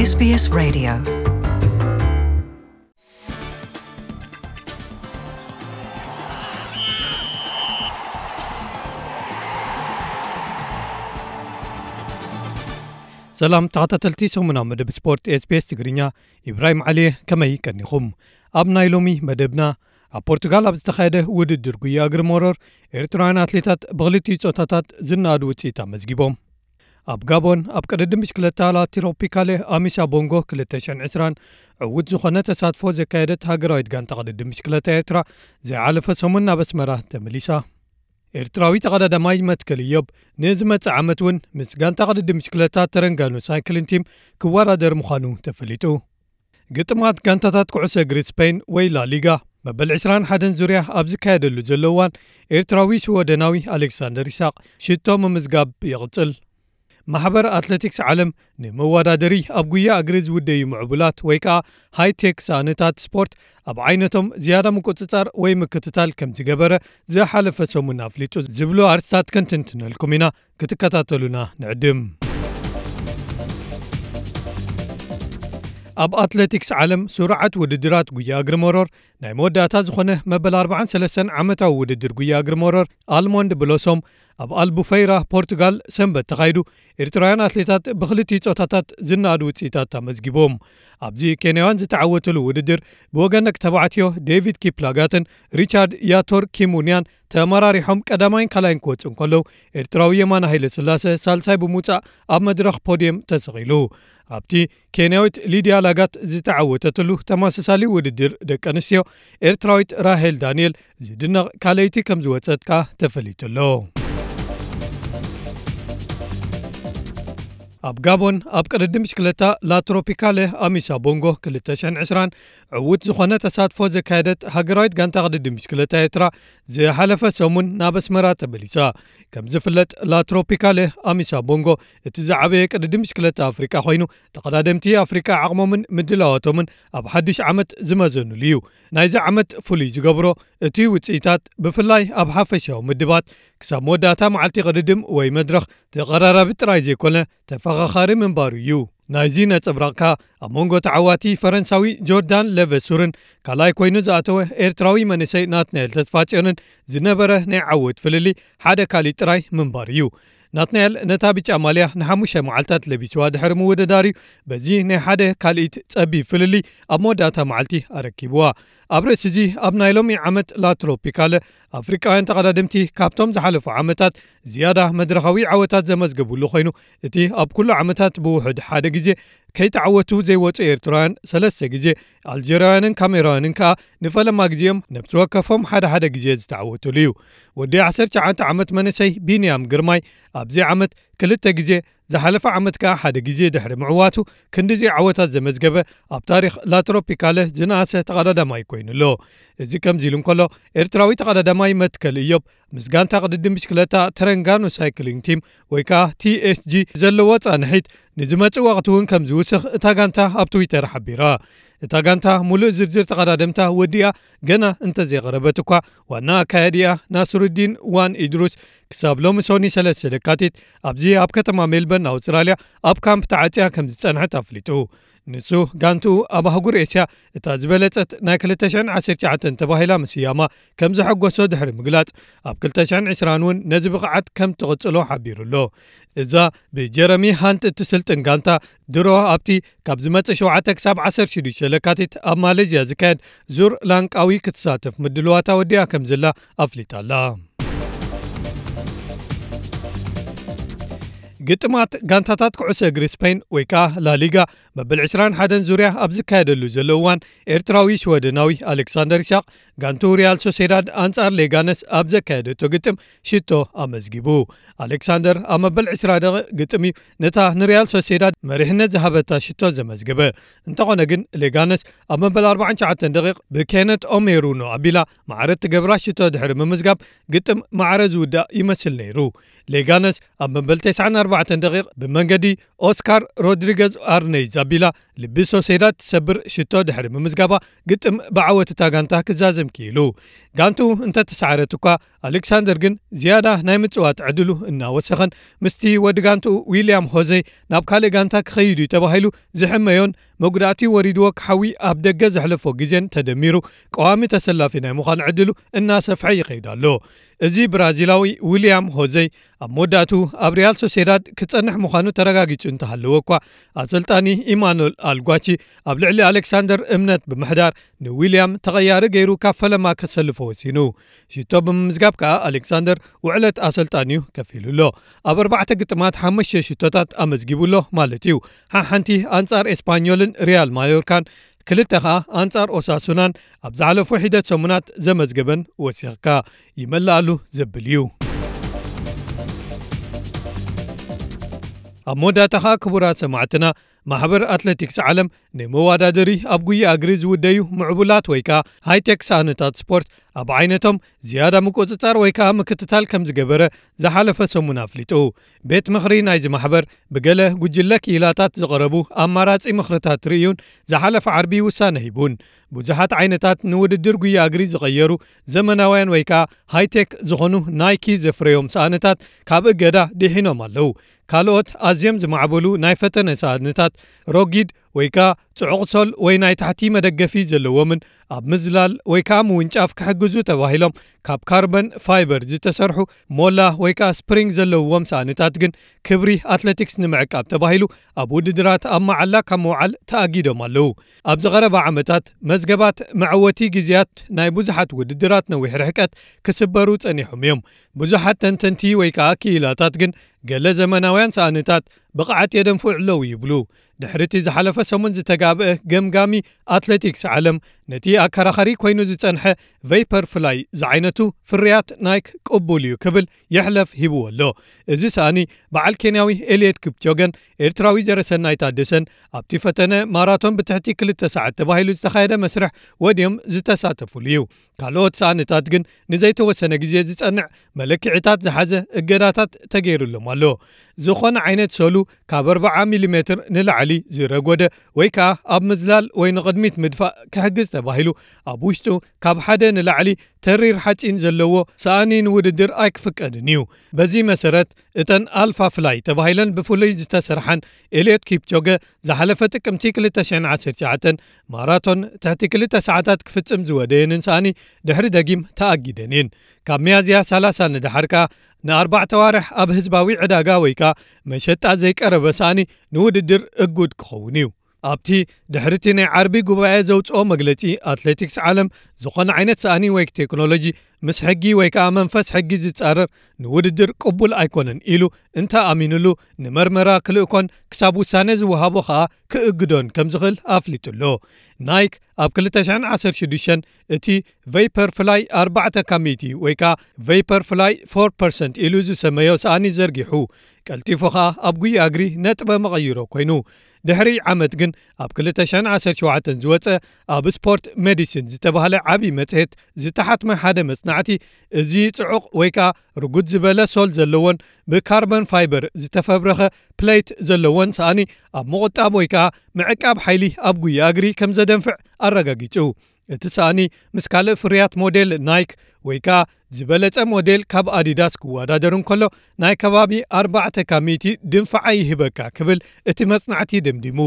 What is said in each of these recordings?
S B S Radio. ሰላም ተኸታተልቲ ሰሙናዊ መደብ ስፖርት ኤስቢኤስ ትግርኛ፣ ኢብራሂም ዓሊ፣ ከመይ ቀኒኹም? ኣብ ናይ ሎሚ መደብና፣ ኣብ ፖርቱጋል ኣብ ዝተኻየደ ውድድር ጉያ እግሪ መሮር፣ ኤርትራውያን ኣትሌታት ብኽልቲኡ ጾታታት ዝነኣድ ውጽኢት ኣመዝጊቦም። ኣብ ጋቦን ኣብ ቅድድም ብሽክለታ ላትሮፒካሌ ኣሚሳ ቦንጎ ክልተ ሽሕን ዕስራን ዕዉት ዝኾነ ተሳትፎ ዘካየደት ሃገራዊት ጋንታ ቅድድም ብሽክለታ ኤርትራ፣ ዝሓለፈ ሰሙን ናብ ኣስመራ ተመሊሳ። ኤርትራዊ ተቐዳዳማይ መትከል እዮብ፣ ንዝመጽእ ዓመት እውን ምስ ጋንታ ቅድድም ብሽክለታ ተረንጋኑ ሳይክሊን ቲም ክወዳደር ምዃኑ ተፈሊጡ። ግጥማት ጋንታታት ኩዕሶ እግሪ ስፔን ወይ ላሊጋ፣ መበል ዕስራን ሓደን ዙርያ ኣብ ዝካየደሉ ዘሎ እዋን፣ ኤርትራዊ ሽወደናዊ ኣሌክሳንደር ይስሐቅ ሽቶ ምምዝጋብ ይቕጽል። ማሕበር ኣትሌቲክስ ዓለም፣ ንመወዳደሪ ኣብ ጉያ እግሪ ዝውደዩ ምዕቡላት ወይ ከኣ ሃይቴክ ሳእንታት ስፖርት ኣብ ዓይነቶም ዝያዳ ምቁጽጻር ወይ ምክትታል ከም ዝገበረ ዝሓለፈ ሰሙን ኣፍሊጡ ዝብሉ ኣርእስታት ክንትንትነልኩም ኢና። ክትከታተሉና ንዕድም። ኣብ ኣትሌቲክስ ዓለም ስሩዓት ውድድራት ጉያ እግሪ መሮር ናይ መወዳእታ ዝኾነ መበል ኣርባዓን ሰለስተን ዓመታዊ ውድድር ጉያ እግሪ መሮር ኣልሞንድ ብሎሶም ኣብ ኣልቡፈይራ ፖርቱጋል ሰንበት ተኻይዱ፣ ኤርትራውያን ኣትሌታት ብኽልቲኡ ጾታታት ዝነኣድ ውጽኢታት ኣመዝጊቦም። ኣብዚ ኬንያውያን ዝተዓወትሉ ውድድር ብወገን ደቂ ተባዕትዮ ዴቪድ ኪፕላጋትን ሪቻርድ ያቶር ኪሙንያን ተመራሪሖም ቀዳማይን ካልኣይን ክወጹ እንከለዉ፣ ኤርትራዊ የማነ ሃይለ ስላሰ ሳልሳይ ብምውጻእ ኣብ መድረኽ ፖድየም ተሰቒሉ። ኣብቲ ኬንያዊት ሊድያ ላጋት ዝተዓወተትሉ ተመሳሳሊ ውድድር ደቂ ኣንስትዮ፣ ኤርትራዊት ራሄል ዳንኤል ዝድነቕ ካልኣይቲ ከም ዝወጸት ከኣ ተፈሊጡ ኣሎ። ኣብ ጋቦን ኣብ ቅድድም ብሽክለታ ላትሮፒካለ ኣሚሳ ቦንጎ ክልተ ሽሕን ዕስራን ዕዉት ዝኾነ ተሳትፎ ዘካየደት ሃገራዊት ጋንታ ቅድድም ብሽክለታ ኤርትራ ዝሓለፈ ሰሙን ናብ ኣስመራ ተመሊሳ። ከም ዝፍለጥ ላትሮፒካለ ኣሚሳ ቦንጎ እቲ ዝዓበየ ቅድድም ብሽክለታ ኣፍሪቃ ኮይኑ፣ ተቐዳደምቲ ኣፍሪቃ ዓቕሞምን ምድላዋቶምን ኣብ ሓድሽ ዓመት ዝመዘኑሉ እዩ። ናይዚ ዓመት ፍሉይ ዝገብሮ እቲ ውጽኢታት፣ ብፍላይ ኣብ ሓፈሻዊ ምድባት፣ ክሳብ መወዳእታ መዓልቲ ቅድድም ወይ መድረኽ ተቐራራቢ ጥራይ ዘይኮነ ተፈኻኻሪ ምንባሩ እዩ። ናይዚ ነጸብራቕ ከኣ ኣብ መንጎ ተዓዋቲ ፈረንሳዊ ጆርዳን ለቨሱርን ካልኣይ ኮይኑ ዝኣተወ ኤርትራዊ መንእሰይ ናትናኤል ተስፋጽዮንን ዝነበረ ናይ ዓወት ፍልልይ ሓደ ካልእ ጥራይ ምንባሩ እዩ። ናትናኤል ነታ ብጫ ማልያ ንሓሙሽተ መዓልታት ለቢስዋ ድሕሪ ምውድዳር እዩ በዚ ናይ ሓደ ካልኢት ጸቢብ ፍልልይ ኣብ መወዳእታ መዓልቲ ኣረኪብዋ። ኣብ ርእሲ እዚ ኣብ ናይ ሎሚ ዓመት ላትሮፒካለ ኣፍሪቃውያን ተቐዳደምቲ ካብቶም ዝሓለፉ ዓመታት ዝያዳ መድረኻዊ ዓወታት ዘመዝገቡሉ ኮይኑ፣ እቲ ኣብ ኩሉ ዓመታት ብውሑድ ሓደ ግዜ ከይተዓወቱ ዘይወጹ ኤርትራውያን ሰለስተ ግዜ፣ ኣልጀርያውያንን ካሜራውያንን ከኣ ንፈለማ ግዜኦም ነብሲ ወከፎም ሓደ ሓደ ግዜ ዝተዓወቱሉ እዩ። ወዲ ዓሰርተ ትሽዓተ ዓመት መንእሰይ ቢንያም ግርማይ ኣብዚ ዓመት ክልተ ግዜ፣ ዝሓለፈ ዓመት ከኣ ሓደ ግዜ ድሕሪ ምዕዋቱ ክንድዚ ዓወታት ዘመዝገበ ኣብ ታሪኽ ላትሮፒካለ ዝነኣሰ ተቐዳዳማይ ኮይኑ ኣሎ። እዚ ከምዚ ኢሉ እንከሎ፣ ኤርትራዊ ተቐዳዳማይ መትከል እዮብ ምስ ጋንታ ቅድድም ብሽክለታ ተረንጋኑ ሳይክሊንግ ቲም ወይ ከኣ ቲኤስጂ ዘለዎ ጻንሒት ንዝመጽእ ወቕቲ እውን ከም ዝውስኽ እታ ጋንታ ኣብ ትዊተር ሓቢራ። እታ ጋንታ ሙሉእ ዝርዝር ተቐዳደምታ ወዲኣ ገና እንተዘይቐረበት እኳ፣ ዋና ኣካያዲኣ ናስሩዲን ዋን ኢድሩስ ክሳብ ሎሚ ሶኒ ሰለስተ ለካቲት ኣብዚ ኣብ ከተማ ሜልበርን ኣውስትራልያ ኣብ ካምፕ ተዓጽያ ከም ዝጸንሐት ኣፍሊጡ። ንሱ ጋንትኡ ኣብ ኣህጉር ኤስያ እታ ዝበለጸት ናይ ክልተ ሽሕን ዓሰርተ ትሽዓተን ተባሂላ ምስያማ ከም ዘሐጎሶ ድሕሪ ምግላጽ፣ ኣብ ክልተ ሽሕን ዕስራን እውን ነዚ ብቕዓት ከም ትቕጽሎ ሓቢሩ ኣሎ። እዛ ብጀረሚ ሃንት እትስልጥን ጋንታ ድሮ ኣብቲ ካብ ዝመጽእ ሸውዓተ ክሳብ ዓሰርተ ሽዱሽተ ለካቲት ኣብ ማሌዝያ ዝካየድ ዙር ላንቃዊ ክትሳተፍ ምድልዋታ ወዲኣ ከም ዘላ ኣፍሊጣ ኣላ። ግጥማት ጋንታታት ኩዕሶ እግሪ ስፔን ወይ ከኣ ላሊጋ መበል ዕስራን ሓደን ዙርያ ኣብ ዝካየደሉ ዘሎ እዋን፣ ኤርትራዊ ሽወደናዊ ኣሌክሳንደር ኢሳቕ ጋንቱ ሪያል ሶሴዳድ ኣንጻር ሌጋነስ ኣብ ዘካየደቶ ግጥም ሽቶ ኣመዝጊቡ። ኣሌክሳንደር ኣብ መበል ዕስራ ደቂቕ ግጥም እዩ ነታ ንሪያል ሶሴዳድ መሪሕነት ዝሃበታ ሽቶ ዘመዝገበ። እንተኾነ ግን፣ ሌጋነስ ኣብ መበል ኣርባዓን ትሽዓተን ደቂቕ ብኬነት ኦሜሩኖ ኣቢላ ማዕረ እትገብራ ሽቶ ድሕሪ ምምዝጋብ፣ ግጥም ማዕረ ዝውዳእ ይመስል ነይሩ። ሌጋነስ ኣብ መበል ተስዓን ኣርባዕተ ደቂቕ ብመንገዲ ኦስካር ሮድሪገዝ ኣርነይ ዛቢላ ልቢ ሶሴዳድ ትሰብር ሽቶ ድሕሪ ምምዝጋባ፣ ግጥም ብዓወት እታ ጋንታ ክዛዘም ክኢሉ። ጋንትኡ እንተተሳዕረት እኳ፣ ኣሌክሳንደር ግን ዝያዳ ናይ ምጽዋት ዕድሉ እናወሰኸን፣ ምስቲ ወዲ ጋንትኡ ዊልያም ሆዘይ ናብ ካልእ ጋንታ ክኸይድ እዩ ተባሂሉ ዝሕመዮን፣ መጉዳእቲ ወሪድዎ ክሓዊ ኣብ ደገ ዘሕለፎ ግዜን ተደሚሩ፣ ቀዋሚ ተሰላፊ ናይ ምዃን ዕድሉ እናሰፍሐ ይኸይድ ኣሎ። እዚ ብራዚላዊ ዊልያም ሆዘይ ኣብ መወዳእቱ ኣብ ሪያል ሶሴዳድ ክጸንሕ ምዃኑ ተረጋጊጹ እንተሃለወ እኳ፣ ኣሰልጣኒ ኢማኑኤል ኣልጓቺ ኣብ ልዕሊ ኣሌክሳንደር እምነት ብምሕዳር፣ ንዊልያም ተቐያሪ ገይሩ ካብ ፈለማ ከሰልፎ ወሲኑ። ሽቶ ብምምዝጋብ ከኣ ኣሌክሳንደር ውዕለት ኣሰልጣኒኡ ከፊሉ ኣሎ። ኣብ ኣርባዕተ ግጥማት ሓሙሽተ ሽቶታት ኣመዝጊቡ ኣሎ ማለት እዩ። ሓሓንቲ ኣንጻር ኤስፓኞልን ሪያል ማዮርካን፣ ክልተ ከኣ ኣንጻር ኦሳሱናን ኣብ ዝሓለፉ ሒደት ሰሙናት ዘመዝገበን ወሲኽካ ይመልኣሉ ዘብል እዩ። ኣብ መወዳእታ ከኣ ክቡራት ሰማዕትና፣ ማሕበር ኣትሌቲክስ ዓለም ንመወዳደሪ ኣብ ጉያ እግሪ ዝውደዩ ምዕቡላት ወይ ከኣ ሃይቴክ ሳእንታት ስፖርት ኣብ ዓይነቶም ዝያዳ ምቁጽጻር ወይ ከኣ ምክትታል ከም ዝገበረ ዝሓለፈ ሰሙን ኣፍሊጡ። ቤት ምኽሪ ናይዚ ማሕበር ብገለ ጉጅለ ክኢላታት ዝቐረቡ ኣማራጺ ምኽርታት ርእዩን ዝሓለፈ ዓርቢ ውሳነ ሂቡን። ብዙሓት ዓይነታት ንውድድር ጉያ እግሪ ዝቐየሩ ዘመናውያን ወይ ከኣ ሃይቴክ ዝኾኑ ናይኪ ዘፍረዮም ሳእንታት ካብ እገዳ ድሒኖም ኣለዉ። ካልኦት ኣዝዮም ዝማዕበሉ ናይ ፈተነ ሳእንታት ሮጊድ ወይ ከኣ ጽዑቕ ሶል ወይ ናይ ታሕቲ መደገፊ ዘለዎምን ኣብ ምዝላል ወይ ከኣ ምውንጫፍ ክሕግዙ ተባሂሎም ካብ ካርበን ፋይበር ዝተሰርሑ ሞላ ወይ ከኣ ስፕሪንግ ዘለውዎም ሳእንታት ግን ክብሪ ኣትሌቲክስ ንምዕቃብ ተባሂሉ ኣብ ውድድራት ኣብ መዓላ ካብ ምውዓል ተኣጊዶም ኣለዉ። ኣብ ዝቐረባ ዓመታት መዝገባት መዐወቲ ግዜያት ናይ ብዙሓት ውድድራት ነዊሕ ርሕቀት ክስበሩ ጸኒሖም እዮም። ብዙሓት ተንተንቲ ወይ ከኣ ክኢላታት ግን ገለ ዘመናውያን ሳእንታት ብቕዓት የደንፍዑ ኣለዉ ይብሉ። ድሕሪ እቲ ዝሓለፈ ሰሙን ዝተጋብአ ገምጋሚ ኣትሌቲክስ ዓለም፣ ነቲ ኣከራኻሪ ኮይኑ ዝጸንሐ ቬይፐር ፍላይ ዝዓይነቱ ፍርያት ናይክ ቅቡል እዩ ክብል የሕለፍ ሂብዎ ኣሎ። እዚ ሳእኒ በዓል ኬንያዊ ኤልየት ክፕቾገን ኤርትራዊ ዘረሰናይ ታደሰን ኣብቲ ፈተነ ማራቶን ብትሕቲ ክልተ ሰዓት ተባሂሉ ዝተኻየደ መስርሕ ወድዮም ዝተሳተፉሉ እዩ። ካልኦት ሳእንታት ግን ንዘይተወሰነ ግዜ ዝጸንዕ መለክዒታት ዝሓዘ እገዳታት ተገይሩሎም ኣሎ። ዝኾነ ዓይነት ሶሉ ካብ ኣርብዓ ሚሊሜትር ንላዕሊ ዝረጎደ ወይ ከኣ ኣብ ምዝላል ወይ ንቕድሚት ምድፋእ ክሕግዝ ተባሂሉ ኣብ ውሽጡ ካብ ሓደ ንላዕሊ ተሪር ሓጺን ዘለዎ ሳእኒ ንውድድር ኣይክፍቀድን እዩ። በዚ መሰረት እተን ኣልፋ ፍላይ ተባሂለን ብፍሉይ ዝተሰርሓን ኤልዮት ኪፕቾገ ዝሓለፈ ጥቅምቲ ክልተ ሽሕን ዓሰርተ ትሽዓተን ማራቶን ትሕቲ ክልተ ሰዓታት ክፍጽም ዝወደየንን ሳእኒ ድሕሪ ደጊም ተኣጊደን እየን። ካብ ሚያዝያ ሰላሳ ንደሓር ከኣ ንኣርባዕተ ኣዋርሕ ኣብ ህዝባዊ ዕዳጋ ወይ ከኣ መሸጣ ዘይቀረበ ሳእኒ ንውድድር እጉድ ክኸውን እዩ። ኣብቲ ድሕሪቲ ናይ ዓርቢ ጉባኤ ዘውጽኦ መግለጺ፣ ኣትሌቲክስ ዓለም ዝኾነ ዓይነት ሳእኒ ወይ ቴክኖሎጂ ምስ ሕጊ ወይ ከኣ መንፈስ ሕጊ ዝጻረር ንውድድር ቅቡል ኣይኮነን ኢሉ እንተ ኣሚኑሉ፣ ንመርመራ ክልእኮን ክሳብ ውሳነ ዝወሃቦ ከኣ ክእግዶን ከም ዝኽእል ኣፍሊጡ ኣሎ። ናይክ ኣብ ክልተ ሽሕን ዓሰርተ ሽዱሽተን እቲ ቬይፐር ፍላይ ኣርባዕተ ካብ ሚእቲ ወይ ከኣ ቬይፐር ፍላይ ፎር ፐርሰንት ኢሉ ዝሰመዮ ሳእኒ ዘርጊሑ፣ ቀልጢፉ ከኣ ኣብ ጉያ እግሪ ነጥበ መቐይሮ ኮይኑ። ድሕሪ ዓመት ግን ኣብ ክልተ ሽሕን ዓሰርተ ሸውዓተን ዝወጸ ኣብ ስፖርት ሜዲሲን ዝተባህለ ዓቢ መጽሔት ዝተሓትመ ሓደ መጽናዕቲ፣ እዚ ጽዑቕ ወይ ከኣ ርጉድ ዝበለ ሶል ዘለዎን ብካርበን ፋይበር ዝተፈብረኸ ፕሌት ዘለዎን ሳእኒ ኣብ ምቑጣብ ወይ ከኣ ምዕቃብ ሓይሊ ኣብ ጉያ እግሪ ከም ዘደንፍዕ ኣረጋጊጹ። እቲ ሳእኒ ምስ ካልእ ፍርያት ሞዴል ናይክ ወይ ከኣ ዝበለጸ ሞዴል ካብ ኣዲዳስ ክወዳደር እንከሎ፣ ናይ ከባቢ ኣርባዕተ ካብ ሚእቲ ድንፋዓ ይህበካ ክብል እቲ መጽናዕቲ ደምዲሙ።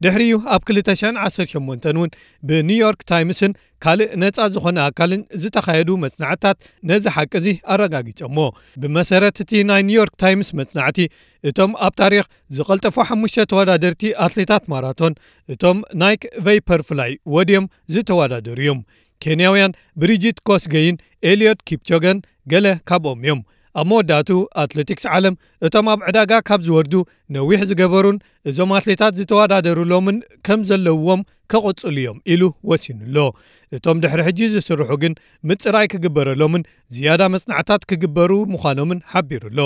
ድሕሪኡ ኣብ ክልተ ሽሕን ዓሰርተ ሸሞንተን እውን ብኒውዮርክ ታይምስን ካልእ ነጻ ዝኾነ ኣካልን ዝተኻየዱ መጽናዕትታት ነዚ ሓቂ እዚ ኣረጋጊጾሞ። ብመሰረት እቲ ናይ ኒውዮርክ ታይምስ መጽናዕቲ፣ እቶም ኣብ ታሪኽ ዝቐልጠፉ ሓሙሽተ ተወዳደርቲ ኣትሌታት ማራቶን፣ እቶም ናይክ ቬይፐር ፍላይ ወድዮም ዝተወዳደሩ እዮም። ኬንያውያን ብሪጂት ኮስገይን ኤልዮት ኪፕቾገን ገለ ካብኦም እዮም። ኣብ መወዳእቱ ኣትሌቲክስ ዓለም እቶም ኣብ ዕዳጋ ካብ ዝወርዱ ነዊሕ ዝገበሩን እዞም ኣትሌታት ዝተወዳደሩሎምን ከም ዘለውዎም ከቐጽሉ እዮም ኢሉ ወሲኑ ኣሎ። እቶም ድሕሪ ሕጂ ዝስርሑ ግን ምጽራይ ክግበረሎምን ዝያዳ መጽናዕታት ክግበሩ ምዃኖምን ሓቢሩ ኣሎ።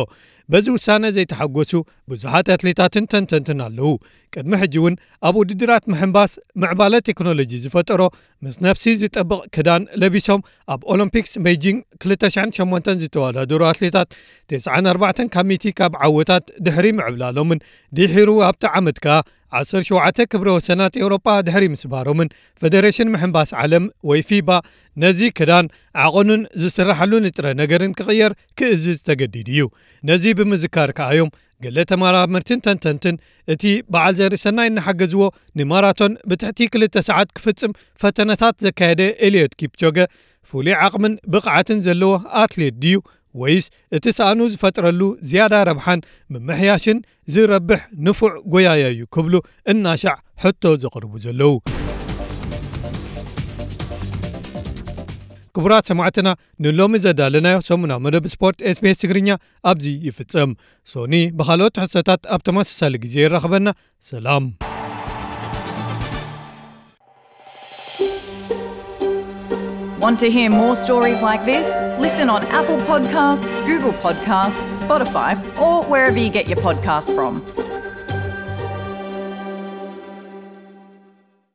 በዚ ውሳነ ዘይተሓጎሱ ብዙሓት ኣትሌታትን ተንተንትን ኣለዉ። ቅድሚ ሕጂ እውን ኣብ ውድድራት ምሕንባስ ምዕባለ ቴክኖሎጂ ዝፈጠሮ ምስ ነፍሲ ዝጠብቕ ክዳን ለቢሶም ኣብ ኦሎምፒክስ ቤጂንግ ክልተ ሽሕን ሸሞንተን ዝተወዳደሩ ኣትሌታት ተስዓን ኣርባዕተን ካብ ሚእቲ ካብ ዓወታት ድሕሪ ምዕብላሎምን ድሒሩ ኣብቲ ዓመት ከኣ ዓሰርተ ሸውዓተ ክብረ ወሰናት ኤውሮጳ ድሕሪ ምስባሮምን ፈደሬሽን ምሕንባስ ዓለም ወይ ፊባ ነዚ ክዳን ዓቐኑን ዝስራሓሉ ንጥረ ነገርን ክቕየር ክእዝዝ ተገዲዱ እዩ። ነዚ ብምዝካር ከኣ እዮም ገለ ተመራመርትን ተንተንትን እቲ በዓል ዘርእሰናይ እናሓገዝዎ ንማራቶን ብትሕቲ ክልተ ሰዓት ክፍጽም ፈተነታት ዘካየደ ኤልዮት ኪፕቾገ ፍሉይ ዓቕምን ብቕዓትን ዘለዎ ኣትሌት ድዩ ወይስ እቲ ሳእኑ ዝፈጥረሉ ዝያዳ ረብሓን ምምሕያሽን ዝረብሕ ንፉዕ ጎያያ እዩ ክብሉ እናሻዕ ሕቶ ዘቕርቡ ዘለዉ። ክቡራት ሰማዕትና፣ ንሎሚ ዘዳለናዮ ሰሙናዊ መደብ ስፖርት ኤስቢኤስ ትግርኛ ኣብዚ ይፍጸም። ሶኒ ብኻልኦት ትሕዝቶታት ኣብ ተመሳሳሊ ግዜ ይራኸበና። ሰላም። Want to hear more stories like this? Listen on Apple Podcasts, Google Podcasts, Spotify, or wherever you get your podcasts from.